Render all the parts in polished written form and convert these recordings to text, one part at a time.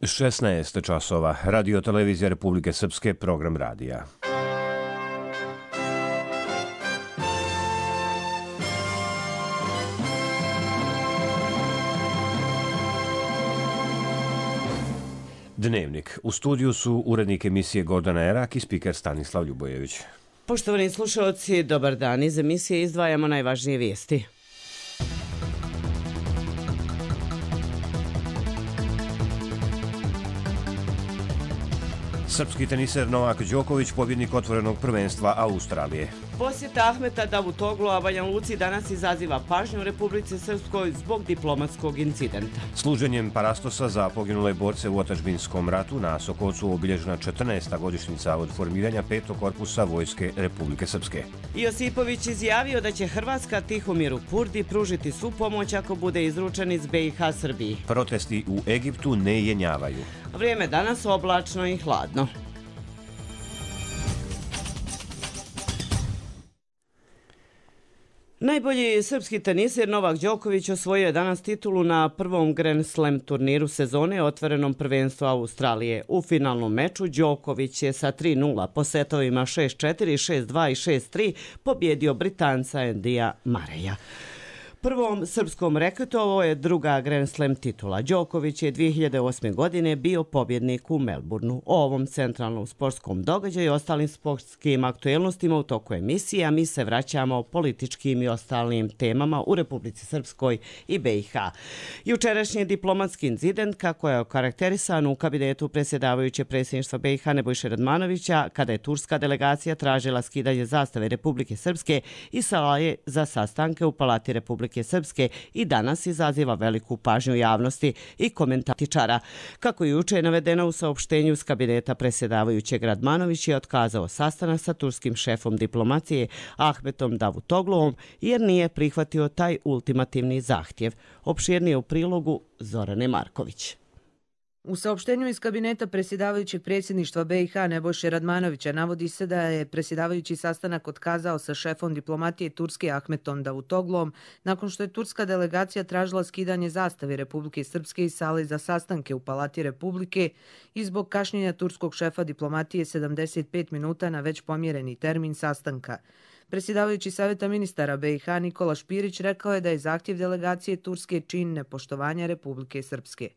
16 časova. Radio Televizija Republike Srpske, program radija. Dnevnik. U studiju su urednik emisije Gordana Erak i spiker Stanislav Ljubojević. Poštovani slušalci, dobar dan. Iz emisije izdvajamo najvažnije vijesti. Srpski teniser Novak Đoković, pobjednik otvorenog prvenstva Australije. Posjeta Ahmeta Davutoglua Banja Luci danas izaziva pažnju u Republici Srpskoj zbog diplomatskog incidenta. Služenjem parastosa za poginule borce u otadžbinskom ratu na Sokolcu obilježena 14. godišnjica od formiranja 5. korpusa Vojske Republike Srpske. Josipović izjavio da će Hrvatska Tihomiru Purdi pružiti svu pomoć ako bude izručen iz BiH Srbiji. Protesti u Egiptu ne jenjavaju. Vrijeme danas oblačno i hladno. Najbolji srpski teniser Novak Đoković osvojio je danas titulu na prvom Grand Slam turniru sezone otvorenom prvenstvu Australije. U finalnom meču Đoković je sa 3:0 po setovima 6:4, 6:2 i 6:3 pobjedio Britanca Andyja Murraya. Prvom srpskom reketu ovo je druga Grand Slam titula. Đoković je 2008. godine bio pobjednik u Melbourneu. O ovom centralnom sportskom događaju i ostalim sportskim aktuelnostima u toku emisije, a mi se vraćamo političkim i ostalim temama u Republici Srpskoj i BiH. Jučerašnji diplomatski incident, kako je okarakterisan u kabinetu predsjedavajuće predsjedništva BiH Nebojše Radmanovića, kada je turska delegacija tražila skidanje zastave Republike Srpske i sale za sastanke u Palati Republike Srpske, i danas izaziva veliku pažnju javnosti i komentatičara. Kako je juče navedeno u saopštenju iz kabineta predsjedavajućeg, Radmanović je otkazao sastanak sa turskim šefom diplomacije Ahmetom Davutogluom jer nije prihvatio taj ultimativni zahtjev. Opširnije u prilogu Zorane Marković. U saopštenju iz kabineta predsjedavajućeg predsjedništva BiH Nebojše Radmanovića navodi se da je predsjedavajući sastanak otkazao sa šefom diplomatije Turske Ahmetom Davutogluom nakon što je turska delegacija tražila skidanje zastave Republike Srpske iz sale za sastanke u Palati Republike i zbog kašnjenja turskog šefa diplomatije 75 minuta na već pomjereni termin sastanka. Predsjedavajući Savjeta ministara BiH Nikola Špirić rekao je da je zahtjev delegacije Turske čin nepoštovanja Republike Srpske.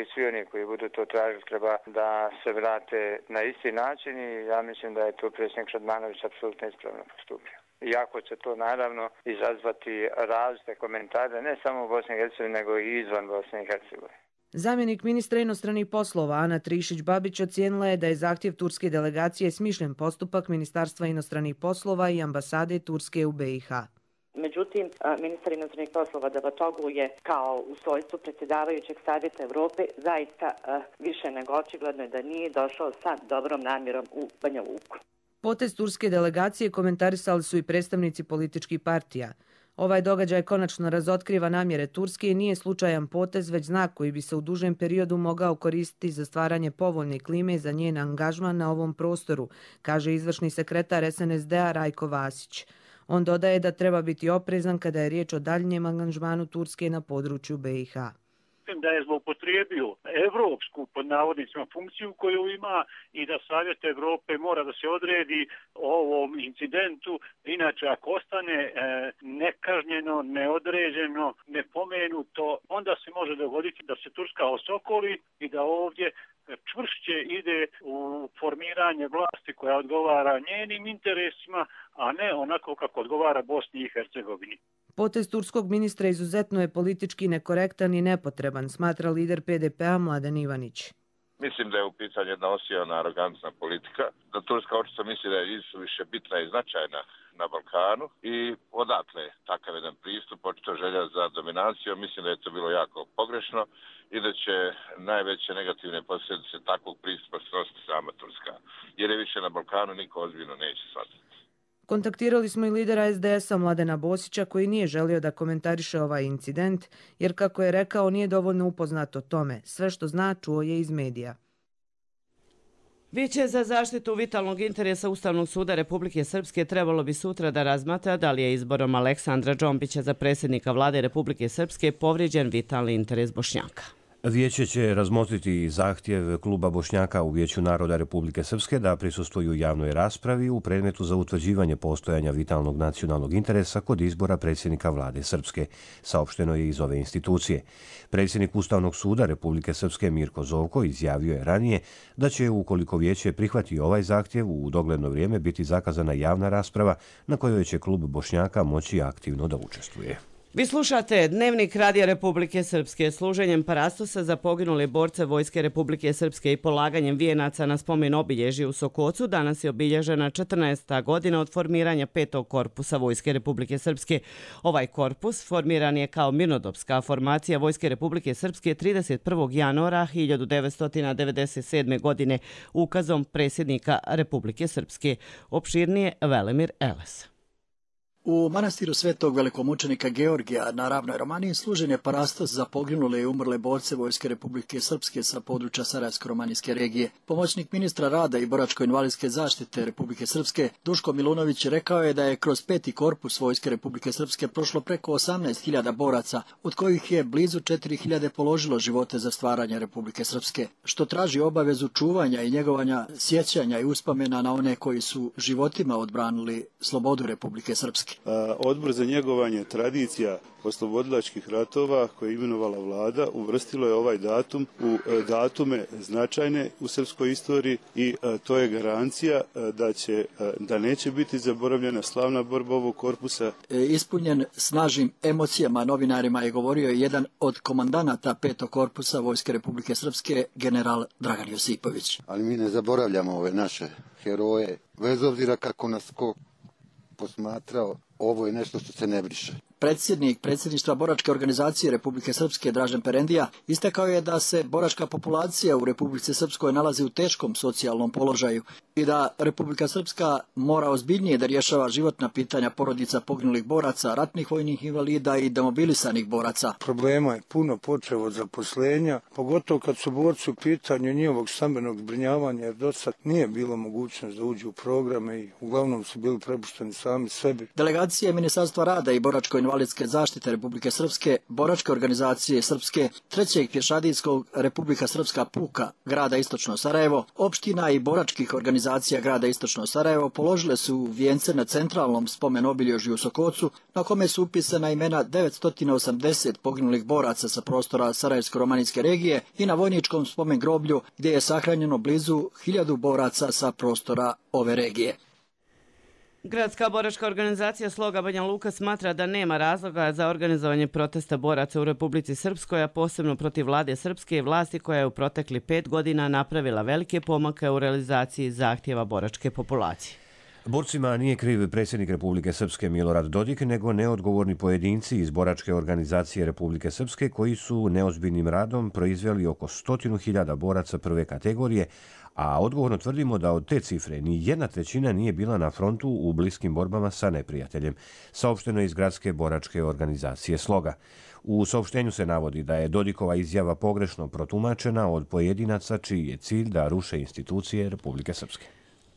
I svi oni koji budu to tražili treba da se vrate na isti način i ja mislim da je to predsjednik Radmanović apsolutno ispravno postupio. Iako će to naravno izazvati različite komentare ne samo u Bosni i Hercegovini nego i izvan Bosne i Hercegovine. Zamjenik ministra inostranih poslova Ana Trišić-Babić ocijenila je da je zahtjev turske delegacije smišljen postupak Ministarstva inostranih poslova i ambasade Turske u BiH. Međutim, ministar inostranih poslova Davutoglu je kao u svojstvu predsjedavajućeg Savjeta Evrope zaista više nego očigledno da nije došao sa dobrom namjerom u Banja Luku. Potez turske delegacije komentarisali su i predstavnici političkih partija. Ovaj događaj konačno razotkriva namjere Turske i nije slučajan potez, već znak koji bi se u dužem periodu mogao koristiti za stvaranje povoljne klime za njen angažman na ovom prostoru, kaže izvršni sekretar SNSD-a Rajko Vasić. On dodaje da treba biti oprezan kada je riječ o daljnjem angažmanu Turske na području BiH. Da je zloupotrijebio evropsku, pod navodnicima, funkciju koju ima i da Savjet Evrope mora da se odredi o ovom incidentu. Inače, ako ostane nekažnjeno, neodređeno, nepomenuto, onda se može dogoditi da se Turska osokoli i da ovdje čvršće ide u formiranje vlasti koja odgovara njenim interesima, a ne onako kako odgovara Bosni i Hercegovini. Potez turskog ministra izuzetno je politički nekorektan i nepotreban, smatra lider PDP-a Mladen Ivanić. Mislim da je u pitanju jedna osijana arogantna politika, da Turska očito misli da je više bitna i značajna na Balkanu i odatle takav jedan pristup, očito želja za dominacijom. Mislim da je to bilo jako pogrešno i da će najveće negativne posljedice takvog pristupa snositi sama Turska, jer je više na Balkanu niko ozbiljno neće shvatiti. Kontaktirali smo i lidera SDS-a Mladena Bosića koji nije želio da komentariše ovaj incident, jer kako je rekao nije dovoljno upoznat o tome. Sve što zna čuo je iz medija. Vijeće za zaštitu vitalnog interesa Ustavnog suda Republike Srpske trebalo bi sutra da razmatra da li je izborom Aleksandra Džombića za predsjednika vlade Republike Srpske povrijeđen vitalni interes Bošnjaka. Vijeće će razmotriti zahtjev kluba Bošnjaka u Vijeću naroda Republike Srpske da prisustvuju javnoj raspravi u predmetu za utvrđivanje postojanja vitalnog nacionalnog interesa kod izbora predsjednika vlade Srpske, saopšteno je iz ove institucije. Predsjednik Ustavnog suda Republike Srpske Mirko Zovko izjavio je ranije da će, ukoliko Vijeće prihvati ovaj zahtjev, u dogledno vrijeme biti zakazana javna rasprava na kojoj će klub Bošnjaka moći aktivno da učestvuje. Vi slušate Dnevnik Radija Republike Srpske. Služenjem parastosa za poginule borce Vojske Republike Srpske i polaganjem vijenaca na spomen obilježju u Sokocu danas je obilježena 14. godina od formiranja 5. korpusa Vojske Republike Srpske. Ovaj korpus formiran je kao mirnodopska formacija Vojske Republike Srpske 31. januara 1997. godine ukazom predsjednika Republike Srpske. Opširnije Velimir Eles. U manastiru svetog velikomučenika Georgija na Ravnoj Romaniji služen je parastos za poginule i umrle borce Vojske Republike Srpske sa područja Sarajevsko-romanijske regije. Pomoćnik ministra rada i boračko-invalidske zaštite Republike Srpske Duško Milunović rekao je da je kroz 5. korpus Vojske Republike Srpske prošlo preko 18.000 boraca, od kojih je blizu 4.000 položilo živote za stvaranje Republike Srpske, što traži obavezu čuvanja i njegovanja sjećanja i uspomena na one koji su životima odbranili slobodu Republike Srpske. Odbor za njegovanje tradicija oslobodilačkih ratova koje je imenovala vlada uvrstilo je ovaj datum u datume značajne u srpskoj istoriji i to je garancija da neće biti zaboravljena slavna borba ovog korpusa. Ispunjen snažnim emocijama novinarima je govorio jedan od komandanata 5. korpusa Vojske Republike Srpske, general Dragan Josipović. Ali mi ne zaboravljamo ove naše heroje, bez obzira kako nas ko posmatrao, ovo je nešto što se ne briše. Predsjednik predsjedništva boračke organizacije Republike Srpske Dražen Perendija istakao je da se boračka populacija u Republici Srpskoj nalazi u teškom socijalnom položaju i da Republika Srpska mora ozbiljnije da rješava životna pitanja porodica poginulih boraca, ratnih vojnih invalida i demobilisanih boraca. Problema je puno, počev od zaposlenja, pogotovo kad su borci u pitanju njihovog stambenog zbrinjavanja, jer do sad nije bilo mogućnost da uđu u programe i uglavnom su bili prepušteni sami sebi. Delegacija Ministarstva rada i boračko-invalidske zaštite Republike Srpske, boračke organizacije Srpske, 3. pješadijskog Republika Srpska puka grada Istočno Sarajevo, opština i boračkih organizacija grada Istočno Sarajevo položile su vijence na centralnom spomen obilježju u Sokocu, na kome su upisana imena 980 poginulih boraca sa prostora Sarajevsko-romanijske regije i na vojničkom spomen groblju gdje je sahranjeno blizu 1000 boraca sa prostora ove regije. Gradska boračka organizacija Sloga Banja Luka smatra da nema razloga za organizovanje protesta boraca u Republici Srpskoj, a posebno protiv vlade Srpske i vlasti koja je u protekli 5 godina napravila velike pomake u realizaciji zahtjeva boračke populacije. Borcima nije kriv predsjednik Republike Srpske Milorad Dodik, nego neodgovorni pojedinci iz boračke organizacije Republike Srpske koji su neozbiljnim radom proizveli oko 100.000 boraca prve kategorije, a odgovorno tvrdimo da od te cifre ni 1/3 nije bila na frontu u bliskim borbama sa neprijateljem, saopšteno iz Gradske boračke organizacije Sloga. U saopštenju se navodi da je Dodikova izjava pogrešno protumačena od pojedinaca čiji je cilj da ruše institucije Republike Srpske.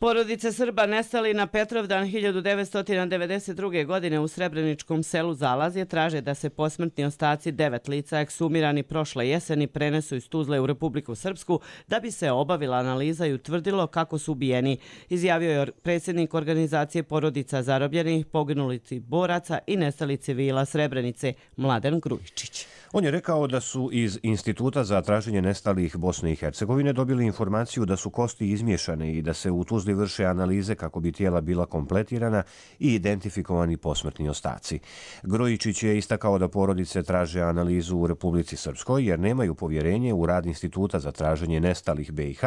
Porodice Srba nestali na Petrovdan 1992. godine u Srebreničkom selu Zalazje traže da se posmrtni ostaci 9 lica eksumirani prošle jeseni prenesu iz Tuzle u Republiku Srpsku da bi se obavila analiza i utvrdilo kako su ubijeni, izjavio je predsjednik organizacije porodica zarobljenih, poginulih boraca i nestali civila Srebrenice Mladen Grujičić. On je rekao da su iz Instituta za traženje nestalih Bosne i Hercegovine dobili informaciju da su kosti izmiješane i da se u Tuzli vrše analize kako bi tijela bila kompletirana i identifikovani posmrtni ostaci. Grujičić je istakao da porodice traže analizu u Republici Srpskoj jer nemaju povjerenje u rad Instituta za traženje nestalih BiH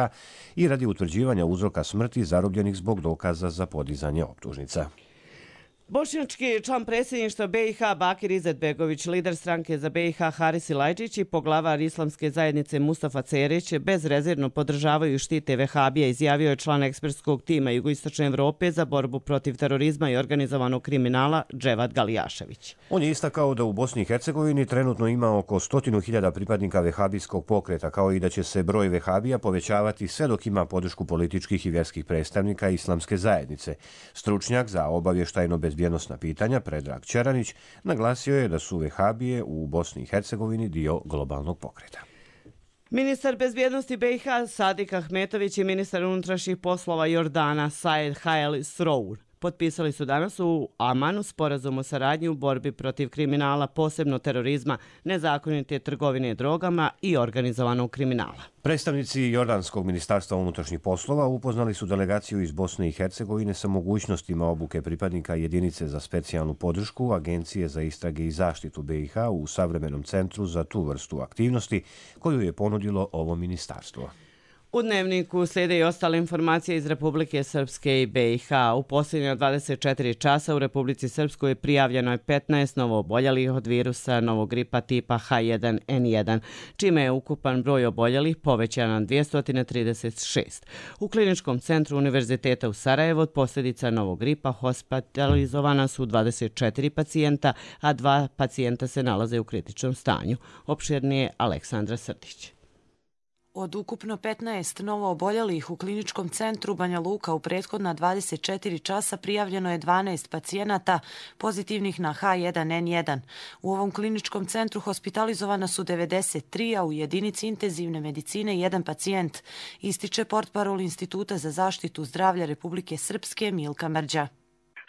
i radi utvrđivanja uzroka smrti zarobljenih zbog dokaza za podizanje optužnica. Bošnjački član predsjedništva BiH Bakir Izetbegović, lider stranke za BiH Haris Ilajčić i poglavar islamske zajednice Mustafa Cerić bezrezervno podržavaju i štite vehabije, izjavio je član ekspertskog tima Jugoistočne Evrope za borbu protiv terorizma i organizovanog kriminala Dževad Galijašević. On je istakao da u Bosni i Hercegovini trenutno ima oko 100.000 pripadnika vehabijskog pokreta, kao i da će se broj vehabija povećavati sve dok ima podršku političkih i vjerskih predstavnika islamske zajednice. Stručnjak za obavještajno bezbjednosna pitanja Predrag Čeranić naglasio je da su vehabije u Bosni i Hercegovini dio globalnog pokreta. Ministar bezbjednosti BiH Sadik Ahmetović i ministar unutrašnjih poslova Jordana Said Hael Srour potpisali su danas u Amanu sporazum o saradnji u borbi protiv kriminala, posebno terorizma, nezakonite trgovine drogama i organizovanog kriminala. Predstavnici Jordanskog ministarstva unutrašnjih poslova upoznali su delegaciju iz Bosne i Hercegovine sa mogućnostima obuke pripadnika jedinice za specijalnu podršku Agencije za istrage i zaštitu BiH u savremenom centru za tu vrstu aktivnosti koju je ponudilo ovo ministarstvo. U Dnevniku slijede i ostale informacije iz Republike Srpske i BiH. U posljednja 24 časa u Republici Srpskoj je prijavljeno je 15 novooboljelih od virusa novog gripa tipa H1N1, čime je ukupan broj oboljelih povećan na 236. U Kliničkom centru Univerziteta u Sarajevu od posljedica novog gripa hospitalizovana su 24 pacijenta, a 2 pacijenta se nalaze u kritičnom stanju. Opširnije Aleksandra Srdić. Od ukupno 15 novooboljelih u Kliničkom centru Banja Luka u prethodna 24 časa prijavljeno je 12 pacijenata pozitivnih na H1N1. U ovom kliničkom centru hospitalizovana su 93, a u jedinici intenzivne medicine 1 pacijent, ističe portparol Instituta za zaštitu zdravlja Republike Srpske Milka Mrđa.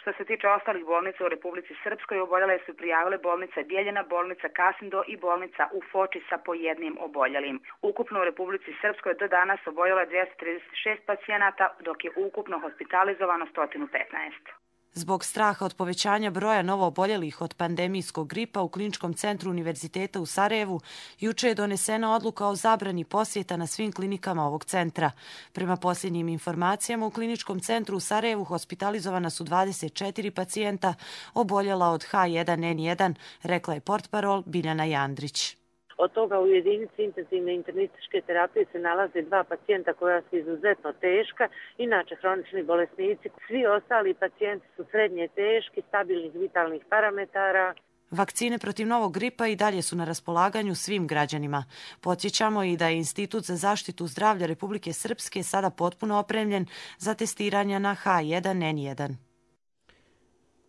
Što se tiče ostalih bolnica u Republici Srpskoj, oboljele su prijavile bolnica Bjeljina, bolnica Kasindo i bolnica u Foči sa po jednim oboljelim. Ukupno u Republici Srpskoj do danas oboljelo je 236 pacijenata, dok je ukupno hospitalizovano 115. Zbog straha od povećanja broja novooboljelih od pandemijskog gripa u Kliničkom centru Univerziteta u Sarajevu juče je donesena odluka o zabrani posjeta na svim klinikama ovog centra. Prema posljednjim informacijama u Kliničkom centru u Sarajevu hospitalizovana su 24 pacijenta oboljela od H1N1, rekla je portparol Biljana Jandrić. Od toga u jedinici intenzivne internističke terapije se nalaze 2 pacijenta koja su izuzetno teška, inače hronični bolesnici. Svi ostali pacijenti su srednje teški, stabilnih vitalnih parametara. Vakcine protiv novog gripa i dalje su na raspolaganju svim građanima. Podsjećamo i da je Institut za zaštitu zdravlja Republike Srpske sada potpuno opremljen za testiranja na H1N1.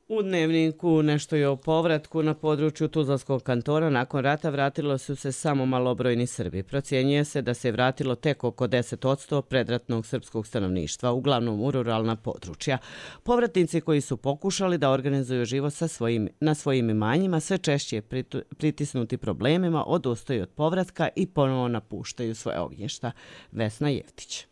U Dnevniku nešto je o povratku. Na području Tuzlanskog kantona nakon rata vratilo su se samo malobrojni Srbi. Procjenjuje se da se vratilo tek oko 10% predratnog srpskog stanovništva, uglavnom u ruralna područja. Povratnici koji su pokušali da organizuju život na svojim imanjima sve češće pritisnuti problemima odustaju od povratka i ponovo napuštaju svoje ognjišta. Vesna Jevtić.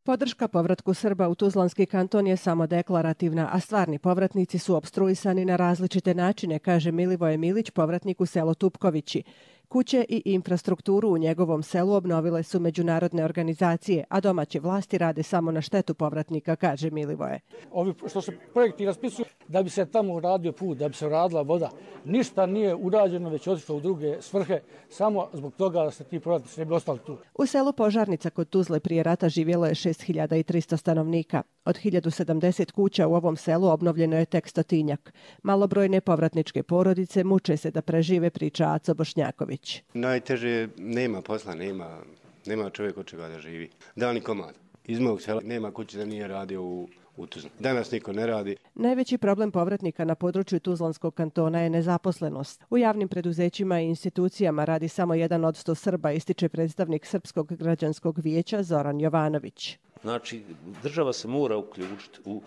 Podrška povratku Srba u Tuzlanski kanton je samo deklarativna, a stvarni povratnici su opstruisani na različite načine, kaže Milivoje Milić, povratnik u selo Tupkovići. Kuće i infrastrukturu u njegovom selu obnovile su međunarodne organizacije, a domaće vlasti rade samo na štetu povratnika, kaže Milivoje. Ovi što se projekti raspisuju da bi se tamo uradio put, da bi se uradila voda, ništa nije urađeno, već otišlo u druge svrhe, samo zbog toga da se ti povratnici ne bi ostali tu. U selu Požarnica kod Tuzle prije rata živjelo je 6300 stanovnika. Od 1070 kuća u ovom selu obnovljeno je tek 100-tinjak. Malobrojne povratničke porodice muče se da prežive, priča Aco Bošnjaković. Najteže nema posla, nema čovjek od čega da živi. Dani komad. Iz mog sela nema kuće da nije radio u Tuzli. Danas niko ne radi. Najveći problem povratnika na području Tuzlanskog kantona je nezaposlenost. U javnim preduzećima i institucijama radi samo 1 od 100 Srba, ističe predstavnik Srpskog građanskog vijeća Zoran Jovanović. Znači, država se mora uključiti u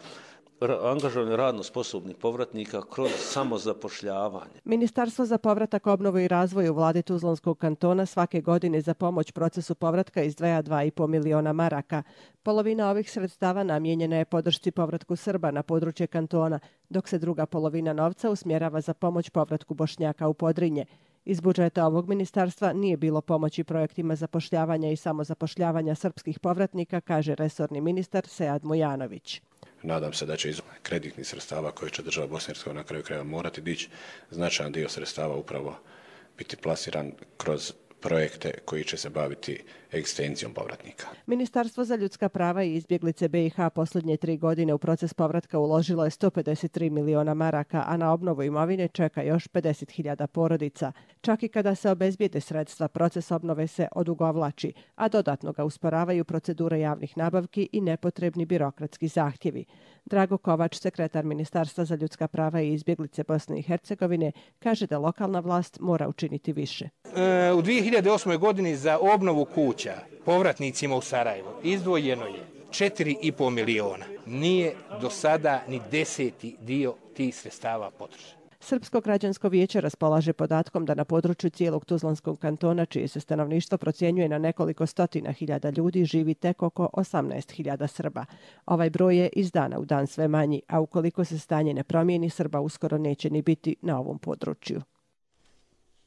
angažovanje radno sposobnih povratnika kroz samozapošljavanje. Ministarstvo za povratak, obnovu i razvoj u vladi Tuzlanskog kantona svake godine za pomoć procesu povratka izdvaja 2,5 miliona maraka. Polovina ovih sredstava namijenjena je podršci povratku Srba na područje kantona, dok se druga polovina novca usmjerava za pomoć povratku Bošnjaka u Podrinje. Iz budžeta ovog ministarstva nije bilo pomoći projektima zapošljavanja i samozapošljavanja srpskih povratnika, kaže resorni ministar Sead Mujanović. Nadam se da će iz kreditnih sredstava koje će država Bosne i Hercegovine na kraju krajeva morati dići, značajan dio sredstava upravo biti plasiran kroz projekte koji će se baviti egzistencijom povratnika. Ministarstvo za ljudska prava i izbjeglice BiH posljednje 3 godine u proces povratka uložilo je 153 miliona maraka, a na obnovu imovine čeka još 50.000 porodica. Čak i kada se obezbijede sredstva, proces obnove se odugovlači, a dodatno ga usporavaju procedure javnih nabavki i nepotrebni birokratski zahtjevi. Drago Kovač, sekretar Ministarstva za ljudska prava i izbjeglice Bosne i Hercegovine, kaže da lokalna vlast mora učiniti više. u 2008. godini za obnovu kuća povratnicima u Sarajevo izdvojeno je 4,5 miliona. Nije do sada ni 10. dio tih sredstava potrošen. Srpsko građansko vijeće raspolaže podatkom da na području cijelog Tuzlanskog kantona, čije se stanovništvo procjenjuje na nekoliko stotina hiljada ljudi, živi tek oko 18.000 Srba. Ovaj broj je iz dana u dan sve manji, a ukoliko se stanje ne promijeni, Srba uskoro neće ni biti na ovom području.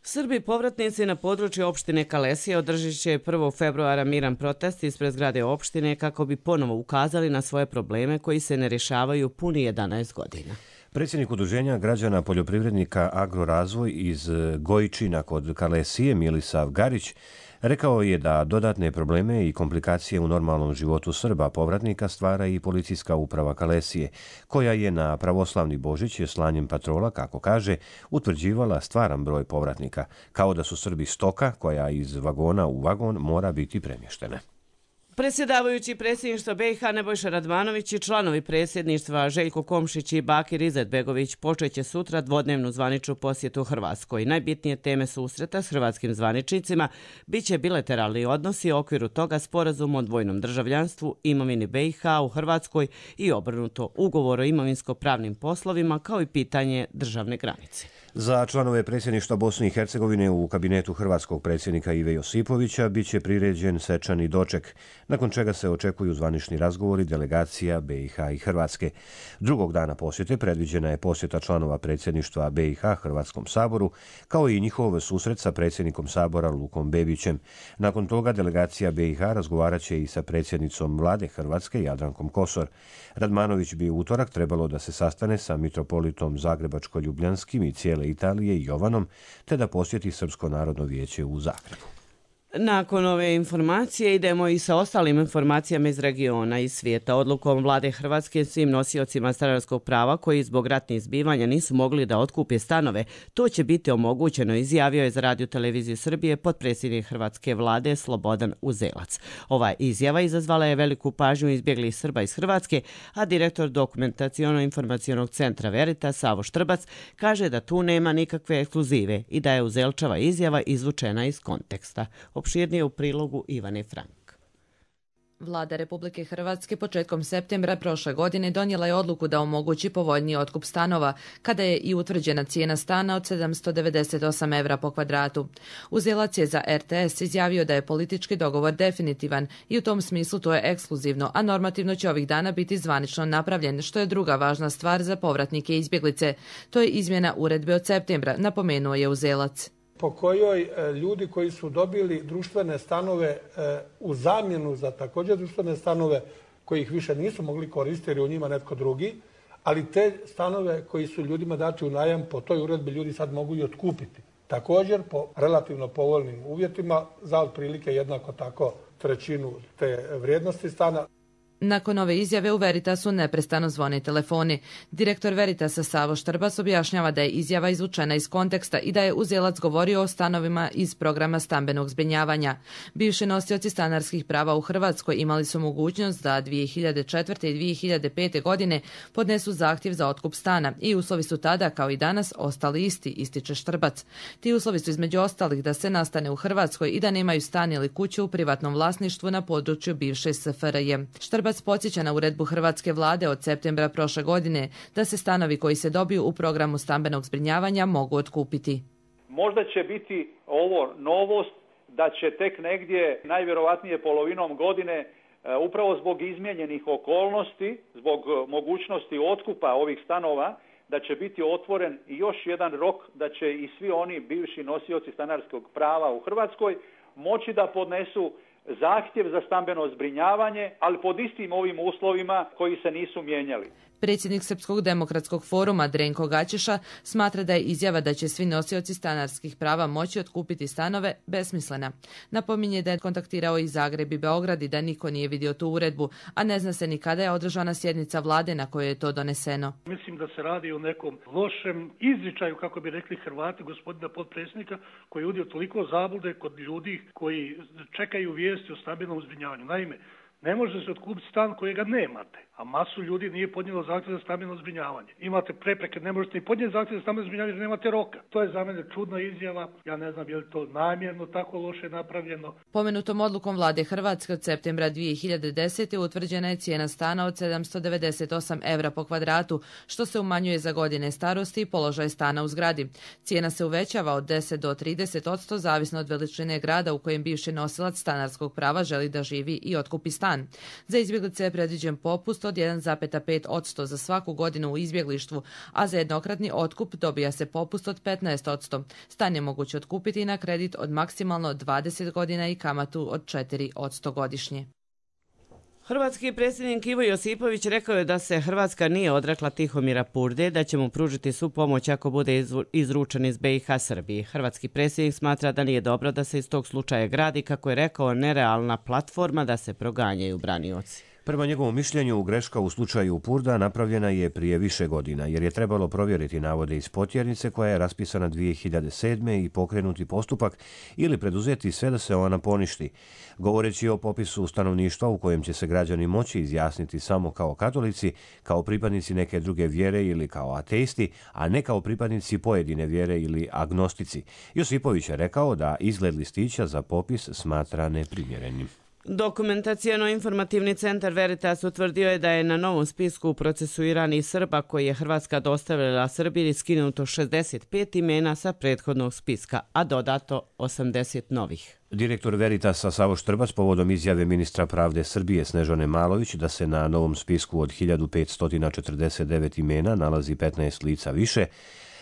Srbi povratnici na području opštine Kalesija održit će 1. februara miran protest ispred zgrade opštine kako bi ponovo ukazali na svoje probleme koji se ne rješavaju puni 11 godina. Predsjednik Udruženja građana poljoprivrednika Agrorazvoj iz Gojčina kod Kalesije, Milisav Garić, rekao je da dodatne probleme i komplikacije u normalnom životu Srba povratnika stvara i policijska uprava Kalesije, koja je na pravoslavni Božić slanjem patrola, kako kaže, utvrđivala stvaran broj povratnika, kao da su Srbi stoka koja iz vagona u vagon mora biti premještena. Predsjedavajući predsjedništva BiH Nebojša Radmanović i članovi predsjedništva Željko Komšić i Bakir Izetbegović počeće sutra dvodnevnu zvaničnu posjetu Hrvatskoj. Najbitnije teme susreta s hrvatskim zvaničnicima biće bilateralni odnosi u okviru toga sporazum o dvojnom državljanstvu, imovini BiH u Hrvatskoj i obrnuto, ugovor o imovinsko-pravnim poslovima kao i pitanje državne granice. Za članove predsjedništva Bosne i Hercegovine u kabinetu hrvatskog predsjednika Ive Josipovića biće priređen svečani doček, nakon čega se očekuju zvanični razgovori delegacija BiH i Hrvatske. Drugog dana posjete predviđena je posjeta članova predsjedništva BiH Hrvatskom saboru, kao i njihov susret sa predsjednikom sabora Lukom Bebićem. Nakon toga delegacija BiH razgovarat će i sa predsjednicom vlade Hrvatske Jadrankom Kosor. Radmanović bi u utorak trebalo da se sastane sa mitropolitom Zagrebačko-Ljubljanskim i cijele Italije Jovanom, te da posjeti Srpsko narodno vijeće u Zagrebu. Nakon ove informacije idemo i sa ostalim informacijama iz regiona i svijeta. Odlukom vlade Hrvatske svim nosiocima stanarskog prava koji zbog ratnih zbivanja nisu mogli da otkupe stanove, to će biti omogućeno, izjavio je za Radio Televiziju Srbije potpredsjednik hrvatske vlade Slobodan Uzelac. Ova izjava izazvala je veliku pažnju izbjeglih Srba iz Hrvatske, a direktor Dokumentaciono-informacionog centra Veritas Savo Štrbac kaže da tu nema nikakve ekskluzive i da je Uzelčeva izjava izvučena iz konteksta. Opširnije u prilogu Ivane Frank. Vlada Republike Hrvatske početkom septembra prošle godine donijela je odluku da omogući povoljniji otkup stanova, kada je i utvrđena cijena stana od 798 evra po kvadratu. Uzelac je za RTS izjavio da je politički dogovor definitivan i u tom smislu to je ekskluzivno, a normativno će ovih dana biti zvanično napravljen, što je druga važna stvar za povratnike i izbjeglice. To je izmjena uredbe od septembra, napomenuo je Uzelac. Po kojoj ljudi koji su dobili društvene stanove u zamjenu za također društvene stanove koji ih više nisu mogli koristiti jer je u njima netko drugi, ali te stanove koji su ljudima dati u najam po toj uredbi ljudi sad mogu i otkupiti. Također po relativno povoljnim uvjetima za otprilike jednako tako trećinu te vrijednosti stana. Nakon ove izjave u Veritasu neprestano zvone telefoni. Direktor Veritasa Savo Štrbac objašnjava da je izjava izvučena iz konteksta i da je Uzelac govorio o stanovima iz programa stambenog zbrinjavanja. Bivši nosioci stanarskih prava u Hrvatskoj imali su mogućnost da 2004. i 2005. godine podnesu zahtjev za otkup stana i uslovi su tada, kao i danas, ostali isti, ističe Štrbac. Ti uslovi su između ostalih da se nastane u Hrvatskoj i da nemaju stan ili kuću u privatnom vlasništvu na području bivše SFRJ. Štrbac podsjeća na uredbu hrvatske vlade od septembra prošle godine da se stanovi koji se dobiju u programu stambenog zbrinjavanja mogu otkupiti. Možda će biti ovo novost da će tek negdje najvjerovatnije polovinom godine upravo zbog izmijenjenih okolnosti, zbog mogućnosti otkupa ovih stanova, da će biti otvoren još jedan rok da će i svi oni bivši nosioci stanarskog prava u Hrvatskoj moći da podnesu zahtjev za stambeno zbrinjavanje, ali pod istim ovim uslovima koji se nisu mijenjali. Predsjednik Srpskog demokratskog foruma Drenko Gaćeša smatra da je izjava da će svi nosioci stanarskih prava moći otkupiti stanove besmislena. Napominje da je kontaktirao i Zagreb i Beograd i da niko nije vidio tu uredbu, a ne zna se ni kada je održana sjednica vlade na kojoj je to doneseno. Mislim da se radi o nekom lošem izričaju, kako bi rekli Hrvati, gospodina potpredsjednika, koji je udio toliko zablude kod ljudi koji čekaju vijesti o stambenom zbrinjavanju. Naime, Ne može se otkupiti stan kojega nemate, a masu ljudi nije podnijelo zahtjev za stambeno zbrinjavanje. Imate prepreke, ne možete ni podnijeti zahtjev za stambeno zbrinjavanje jer nemate roka. To je za mene čudna izjava. Ja ne znam je li to namjerno tako loše napravljeno. Pomenutom odlukom vlade Hrvatske od septembra 2010. utvrđena je cijena stana od 798 € po kvadratu, što se umanjuje za godine starosti i položaj stana u zgradi. Cijena se uvećava od 10 do 30%, zavisno od veličine grada u kojem bivši nosilac stanarskog prava želi da živi i otkupi stan. Za izbjeglice je predviđen popust od 1,5% za svaku godinu u izbjeglištvu, a za jednokratni otkup dobija se popust od 15%. Stan je moguće otkupiti na kredit od maksimalno 20 godina i kamatu od 4% godišnje. Hrvatski predsjednik Ivo Josipović rekao je da se Hrvatska nije odrekla Tihomira Purde, da će mu pružiti svu pomoć ako bude izručen iz BiH Srbiji. Hrvatski predsjednik smatra da nije dobro da se iz tog slučaja gradi, kako je rekao, nerealna platforma da se proganjaju branioci. Prema njegovom mišljenju, greška u slučaju Purda napravljena je prije više godina, jer je trebalo provjeriti navode iz potjernice koja je raspisana 2007. i pokrenuti postupak ili preduzeti sve da se ona poništi. Govoreći o popisu stanovništva u kojem će se građani moći izjasniti samo kao katolici, kao pripadnici neke druge vjere ili kao ateisti, a ne kao pripadnici pojedine vjere ili agnostici, Josipović je rekao da izgled listića za popis smatra neprimjerenim. Dokumentacijono-informativni centar Veritas utvrdio je da je na novom spisku procesuiranih Srba koji je Hrvatska dostavila Srbiji skinuto 65 imena sa prethodnog spiska, a dodato 80 novih. Direktor Veritasa Savo Štrbac povodom izjave ministra pravde Srbije Snežane Malović da se na novom spisku od 1549 imena nalazi 15 lica više,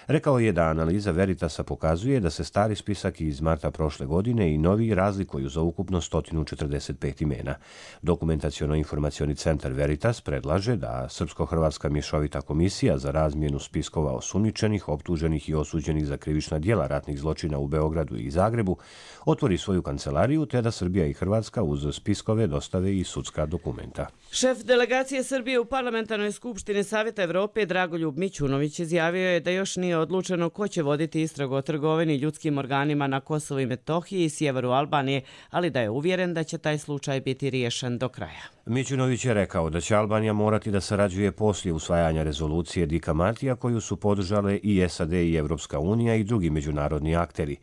rekao je da analiza Veritasa pokazuje da se stari spisak iz marta prošle godine i novi razlikuju za ukupno 145 imena. Dokumentacijono-informacioni centar Veritas predlaže da Srpsko-Hrvatska mješovita komisija za razmjenu spiskova osumnjičenih, optuženih i osuđenih za krivična djela ratnih zločina u Beogradu i Zagrebu otvori svoju kancelariju te da Srbija i Hrvatska uz spiskove dostave i sudska dokumenta. Šef delegacije Srbije u Parlamentarnoj skupštini Savjeta Evrope Dragoljub Mićunović izjavio je da još nije odlučeno ko će voditi istragu o trgovini ljudskim organima na Kosovu i Metohiji i sjeveru Albanije, ali da je uvjeren da će taj slučaj biti riješen do kraja. Mićunović je rekao da će Albanija morati da sarađuje poslije usvajanja rezolucije Dika Martija koju su podržale i SAD i Evropska unija i drugi međunarodni akteri.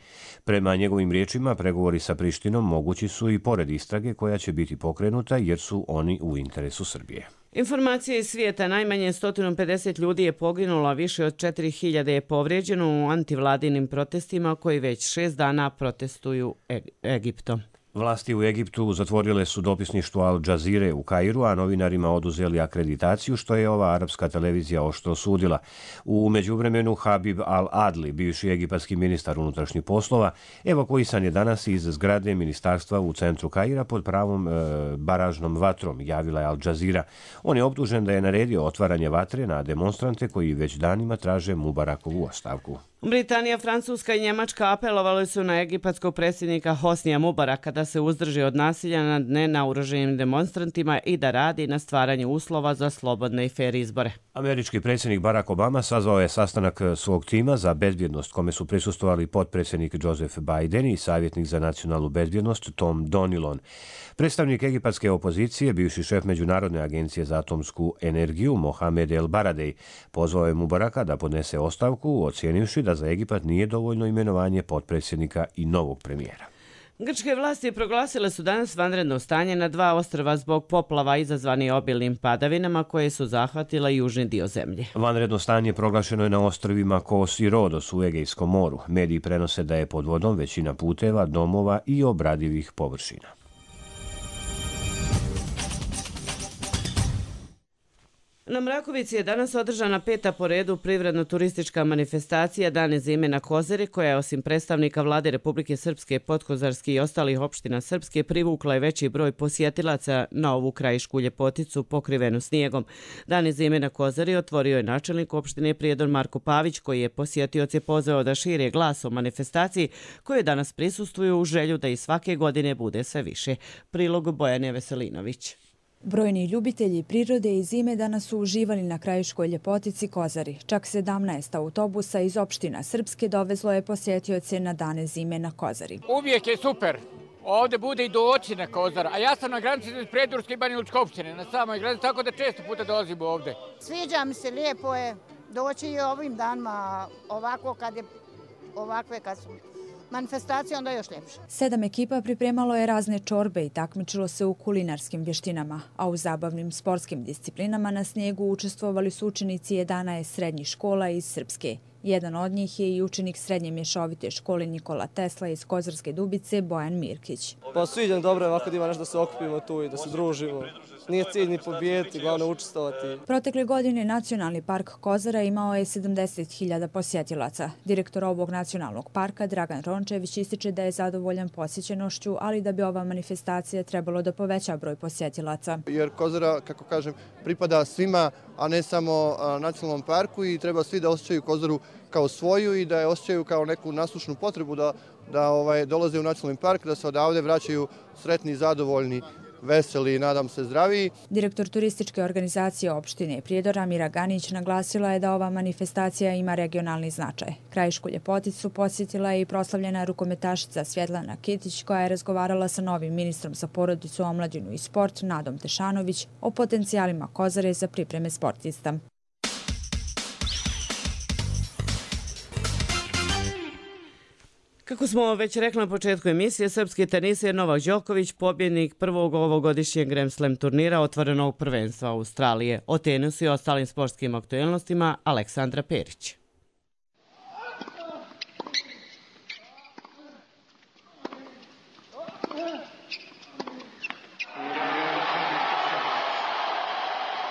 Prema njegovim riječima, pregovori sa Prištinom mogući su i pored istrage koja će biti pokrenuta jer su oni u interesu Srbije. Informacije iz svijeta: najmanje 150 ljudi je poginulo, a više od 4000 je povrijeđeno u antivladinim protestima koji već 6 dana protestuju Egiptom. Vlasti u Egiptu zatvorile su dopisništvo Al Jazeere u Kairu, a novinarima oduzeli akreditaciju, što je ova arapska televizija oštro osudila. U međuvremenu Habib Al-Adli, bivši egipatski ministar unutrašnjih poslova, evakuisan je danas iz zgrade ministarstva u centru Kaira pod pravom baražnom vatrom, javila je Al Jazeera. On je optužen da je naredio otvaranje vatre na demonstrante koji već danima traže Mubarakovu ostavku. Britanija, Francuska i Njemačka apelovali su na egipatskog predsjednika Hosnija Mubaraka da se uzdrži od nasilja nad nenaoružanim demonstrantima i da radi na stvaranju uslova za slobodne i fer izbore. Američki predsjednik Barack Obama sazvao je sastanak svog tima za bezbjednost kome su prisustvovali potpredsjednik Joseph Biden i savjetnik za nacionalnu bezbjednost Tom Donilon. Predstavnik egipatske opozicije, bivši šef Međunarodne agencije za atomsku energiju Mohamed El Baradej, pozvao je Mubaraka da podnese ostavku, ocijenivši da za Egipat nije dovoljno imenovanje potpredsjednika i novog premijera. Grčke vlasti proglasile su danas vanredno stanje na 2 ostrva zbog poplava izazvani obilnim padavinama koje su zahvatile južni dio zemlje. Vanredno stanje proglašeno je na ostrvima Kos i Rodos u Egejskom moru. Mediji prenose da je pod vodom većina puteva, domova i obradivih površina. Na Mrakovici je danas održana 5. po redu privredno-turistička manifestacija Dane zime na Kozari, koja je osim predstavnika vlade Republike Srpske, Podkozarske i ostalih opština Srpske privukla i veći broj posjetilaca na ovu krajišku ljepoticu pokrivenu snijegom. Dane zime na Kozari otvorio je načelnik opštine Prijedor Marko Pavić, koji je posjetioce pozvao da šire glas o manifestaciji koje danas prisustvuju u želju da i svake godine bude sve više. Prilog Bojane Veselinović. Brojni ljubitelji prirode i zime danas su uživali na krajiškoj ljepotici Kozari. Čak 17 autobusa iz opština Srpske dovezlo je posjetioce na Dane zime na Kozari. Uvijek je super ovdje bude i doći na Kozar, a ja sam na granici iz Predurske i Banjalučke opštine, na samoj granici, tako da često puta dolazim ovdje. Sviđa mi se, lijepo je doći i ovim danima, ovakve kad su manifestacije, onda još ljepše. 7 ekipa pripremalo je razne čorbe i takmičilo se u kulinarskim vještinama, a u zabavnim sportskim disciplinama na snijegu učestvovali su učenici 11 srednjih škola iz Srpske. Jedan od njih je i učenik srednje mješovite škole Nikola Tesla iz Kozarske Dubice, Bojan Mirkić. Pa sviđam, dobro je ovako da ima nešto da se okupimo tu i da se družimo. Nije cilj ni pobijeti, glavno učestvovati. Protekle godine Nacionalni park Kozara imao je 70.000 posjetilaca. Direktor ovog nacionalnog parka, Dragan Rončević, ističe da je zadovoljan posjećenošću, ali da bi ova manifestacija trebalo da poveća broj posjetilaca. Jer Kozara, kako kažem, pripada svima, a ne samo nacionalnom parku i treba svi da osjećaju Kozaru kao svoju i da je osjećaju kao neku nasušnu potrebu da dolaze u nacionalni park, da se odavde vraćaju sretni, zadovoljni, veseli i nadam se zdraviji. Direktor turističke organizacije opštine Prijedora Mira Ganić naglasila je da ova manifestacija ima regionalni značaj. Krajišku ljepoticu posjetila je i proslavljena rukometašica Svjetlana Kitić koja je razgovarala sa novim ministrom za porodicu, omladinu i sport Nadom Tešanović o potencijalima Kozare za pripreme sportista. Kako smo već rekli na početku emisije, srpski teniser Novak Đoković, pobjednik prvog ovogodišnjeg Grand Slam turnira otvorenog prvenstva Australije. O tenisu i ostalim sportskim aktuelnostima Aleksandra Perić.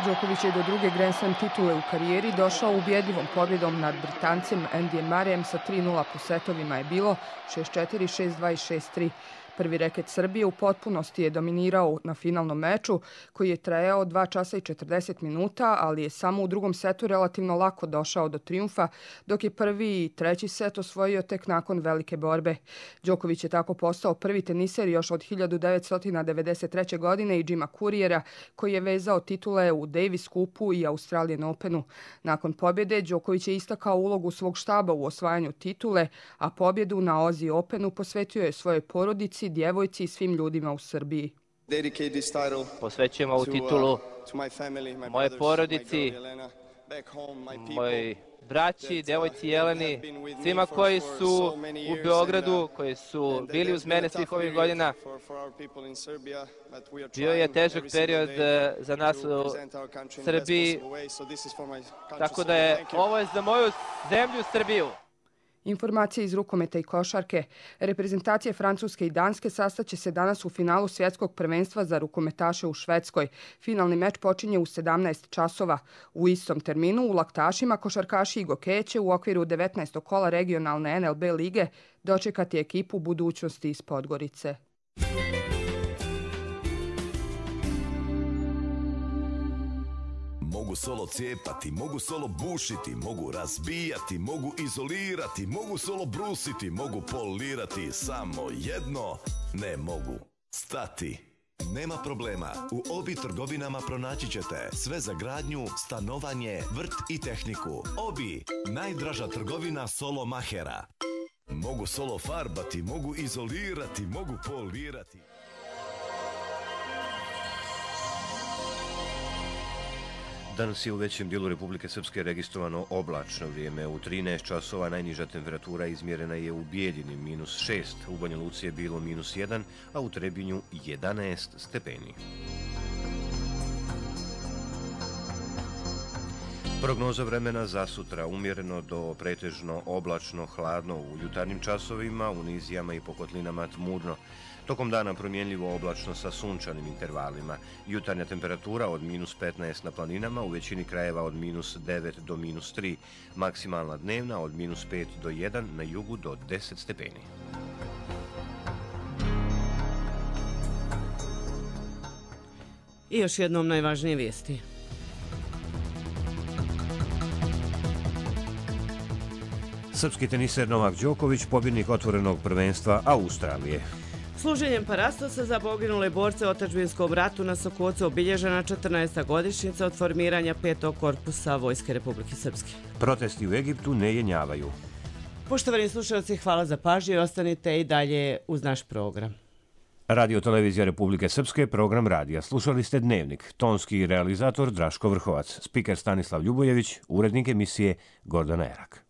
Đoković je do druge Grand Slam titule u karijeri došao ubjedljivom pobjedom nad Britancem Andyjem Murrayem sa 3-0 po setovima je bilo 6-4, 6-2 i 6-3. Prvi reket Srbije u potpunosti je dominirao na finalnom meču koji je trajao 2 časa i 40 minuta, ali je samo u drugom setu relativno lako došao do trijumfa, dok je prvi i treći set osvojio tek nakon velike borbe. Đoković je tako postao prvi teniser još od 1993. godine i Jima Couriera koji je vezao titule u Davis Cupu i Australian Openu. Nakon pobjede Đoković je istakao ulogu svog štaba u osvajanju titule, a pobjedu na Aussie Openu posvetio je svojoj porodici, djevojci i svim ljudima u Srbiji. Posvećujem ovu titulu moje porodici, mojoj braći, djevojci Jeleni, svima koji su u Beogradu, koji su bili uz mene svih ovih godina. Bio je težak period za nas u Srbiji, tako da je ovo za moju zemlju Srbiju. Informacije iz rukometa i košarke. Reprezentacije Francuske i Danske sastaće se danas u finalu svjetskog prvenstva za rukometaše u Švedskoj. Finalni meč počinje u 17 časova. U istom terminu u Laktašima košarkaši i gokeje će u okviru 19. kola regionalne NLB lige dočekati ekipu budućnosti iz Podgorice. Mogu solo cijepati, mogu solo bušiti, mogu razbijati, mogu izolirati, mogu solo brusiti, mogu polirati, samo jedno ne mogu stati. Nema problema, u Obi trgovinama pronaći ćete sve za gradnju, stanovanje, vrt i tehniku. Obi, najdraža trgovina solo mahera. Mogu solo farbati, mogu izolirati, mogu polirati. Danas je u većem dijelu Republike Srpske registrovano oblačno vrijeme. U 13 časova najniža temperatura izmjerena je u Bijeljini -6, u Banja Luci je bilo -1, a u Trebinju 11 stepeni. Prognoza vremena za sutra: umjereno do pretežno oblačno, hladno u jutarnjim časovima, u nizijama i po kotlinama tmurno. Tokom dana promjenljivo oblačno sa sunčanim intervalima. Jutarnja temperatura od -15 na planinama, u većini krajeva od -9 do -3. Maksimalna dnevna od -5 do 1, na jugu do 10 stepeni. I još jednom najvažnije vijesti. Srpski teniser Novak Đoković, pobjednik otvorenog prvenstva Australije. Služenjem parastosa za poginule borce u otadžbinskom ratu na Sokocu obilježena 14. godišnjica od formiranja 5. korpusa Vojske Republike Srpske. Protesti u Egiptu ne jenjavaju. Poštovani slušalci, hvala za pažnju i ostanite i dalje uz naš program. Radio Televizija Republike Srpske, program radija. Slušali ste Dnevnik, tonski realizator Draško Vrhovac, spiker Stanislav Ljubojević, urednik emisije Gordana Erak.